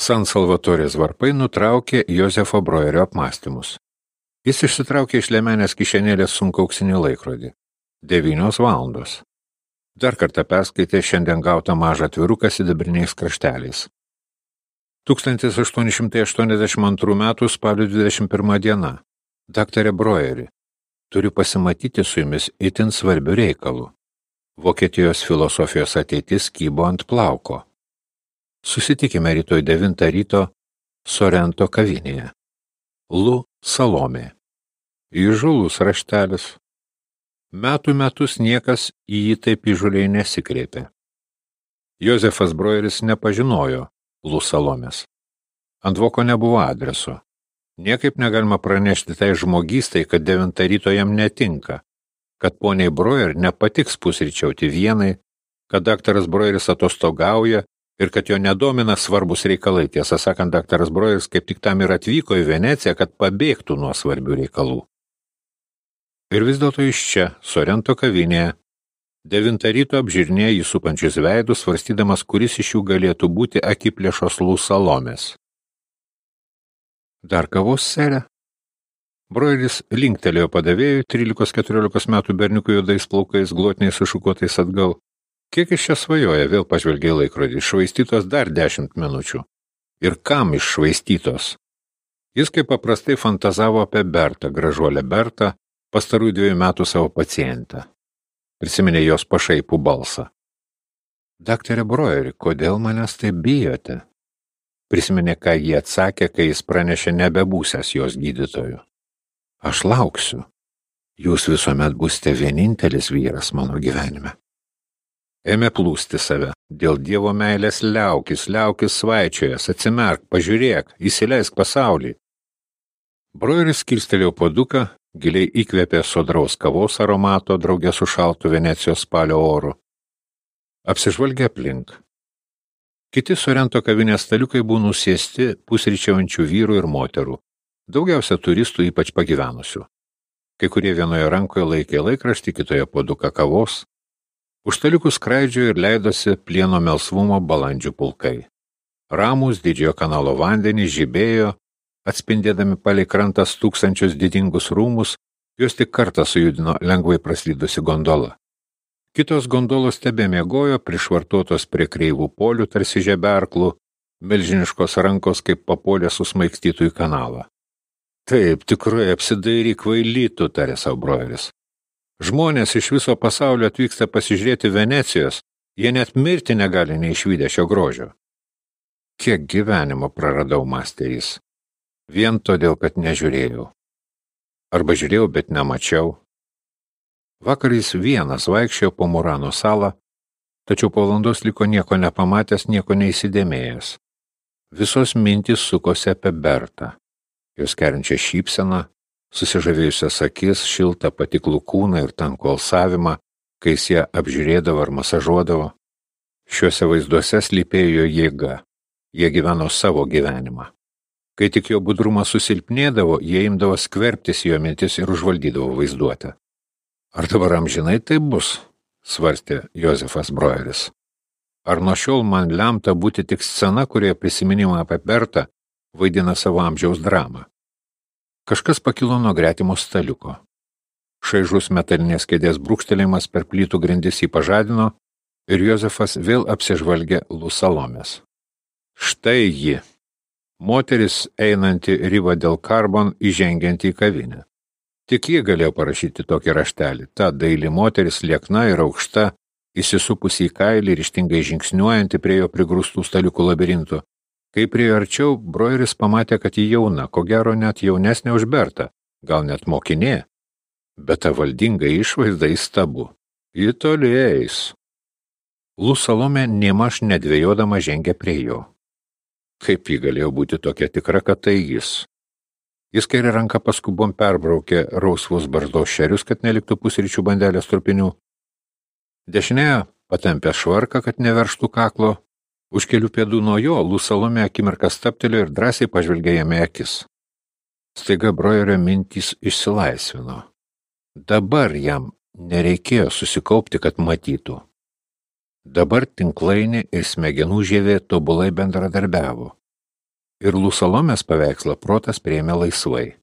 San Salvatorės varpai nutraukė Jozefo Broerio apmąstymus. Jis išsitraukė iš liemenės kišenėlės sunkų auksinį laikrodį. 9 valandos. Dar kartą perskaitė šiandien gautą mažą atviruką sidabriniais krašteliais. 1882 metų spalio 21 diena. Daktare Broeri, turiu pasimatyti su jumis itin svarbiu reikalu. Vokietijos filosofijos ateitis kybo ant plauko. Susitikime rytoj 9 ryto Sorento kavinėje. Lu Salomė. Įžūlus raštelis. Metų metus niekas į jį taip įžūliai nesikreipė. Jozefas Broeris nepažinojo Lu Salomės. Ant voko nebuvo adreso. Niekaip negalima pranešti tai žmogystai, kad 9 ryto jam netinka, kad poniai Broer nepatiks pusryčiauti vienai, kad daktaras Broeris atostogauja ir kad jo nedomina svarbus reikalai. Tiesą sakant, daktaras Broeris kaip tik tam ir atvyko į Veneciją, kad pabėgtų nuo svarbių reikalų. Ir vis dėlto iš čia, Sorento kavinėje, 9 ryto apžiūrinėja jį supančius veidus, svarstydamas, kuris iš jų galėtų būti akiplėšos Lu Salomės. Dar kavos, sere? Broeris linktelėjo padavėjui, 13-14 metų berniukų juodais plaukais, glotniais sušukuotais atgal. Kiek iš čia svajoja, vėl pažvelgė į laikrodį, iššvaistytos dar 10 minučių. Ir kam iššvaistytos? Jis kaip paprastai fantazavo apie Bertą, gražuolę Bertą, pastarųjų 2 metų savo pacientą. Prisiminė jos pašaipų balsą. Daktare Broeri, kodėl manęs taip bijote? Prisiminė, ką jie atsakė, kai jis pranešė nebebūsęs jos gydytoju. Aš lauksiu. Jūs visuomet būsite vienintelis vyras mano gyvenime. Ėmė plūsti save. Dėl Dievo meilės liaukis svaičiojas, atsimerk, pažiūrėk, įsileisk pasaulį. Broeris kilstelėjo puoduką, giliai įkvėpė sodraus kavos aromato drauge su šaltu Venecijos spalio oru. Apsižvalgė aplink. Kiti Sorento kavinės staliukai buvo nusėsti pusryčiaujančių vyrų ir moterų. Daugiausia turistų, ypač pagyvenusių. Kai kurie vienoje rankoje laikė laikraštį, kitoje puoduką kavos. Už staliukų skraidžiojo ir leidosi plieno melsvumo balandžių pulkai. Ramūs didžiojo kanalo vandenys žibėjo, atspindėdami palei krantas tūkstančius didingus rūmus, juos tik kartą sujudino lengvai praslydusi gondola. Kitos gondolos tebemiegojo, prišvartuotos prie kreivų polių tarsi žeberklų, milžiniškos rankos kaip papolė susmaigstytų į kanalą. Taip, tikrai apsidairyk kvailytų, tarė sau Broeris. Žmonės iš viso pasaulio atvyksta pasižiūrėti Venecijos, jie net mirti negali neišvydę šio grožio. Kiek gyvenimo praradau, mąstė jis. Vien todėl, kad nežiūrėjau. Arba žiūrėjau, bet nemačiau. Vakar jis vienas vaikščiojo po Murano salą, tačiau po valandos liko nieko nepamatęs, nieko neįsidėmėjęs. Visos mintys sukosi apie Bertą. Jos kerinčią šypseną, susižavėjusias akis, šiltą patiklų kūną ir tankų alsavimą, kai jis ją apžiūrėdavo ar masažuodavo. Šiuose vaizduose slypėjo jėga. Jie gyveno savo gyvenimą. Kai tik jo budrumas susilpnėdavo, jie imdavo skverbtis jo mintis ir užvaldydavo vaizduotę. Ar dabar amžinai taip bus? Svarstė Jozefas Broeris. Ar nuo šiol man lemta būti tik scena, kurioje prisiminimą apie Bertą vaidina savo amžiaus dramą? Kažkas pakilo nuo gretimo staliuko. Šaižus metalinės kėdės brūkštelėjimas per plytų grindis jį pažadino ir Jozefas vėl apsižvalgė Lu Salomės. Štai ji. Moteris einanti Riva del Carbon įžengianti į kavinę. Tik ji galėjo parašyti tokį raštelį. Ta daili moteris liekna ir aukšta, įsisupusi į kailį, ryžtingai žingsniuojanti prie jo prigrūstų staliukų labirintų. Kai priejo arčiau, Broeris pamatė, kad ji jauna, ko gero net jaunesnė už Bertą, gal net mokinė, bet ta valdinga išvaizda įstabu. Ji toli eis. Lu Salomė nėmaž nedvejodama žengė prie jo. Kaip ji galėjo būti tokia tikra, kad tai jis? Jis kairę ranką paskubom perbraukė rausvus barzdos šerius, kad neliktų pusryčių bandelės trupinių. Dešinėje patempė švarką, kad neverštų kaklo. Už kelių pėdų nuo jo Lu Salomė akimirką stabtelėjo ir drąsiai pažvelgė jame akis. Staiga Broerio mintys išsilaisvino. Dabar jam nereikėjo susikaupti, kad matytų. Dabar tinklainė ir smegenų žievė tobulai bendradarbiavo. ir Lūsalomės paveikslą protas priėmė laisvai.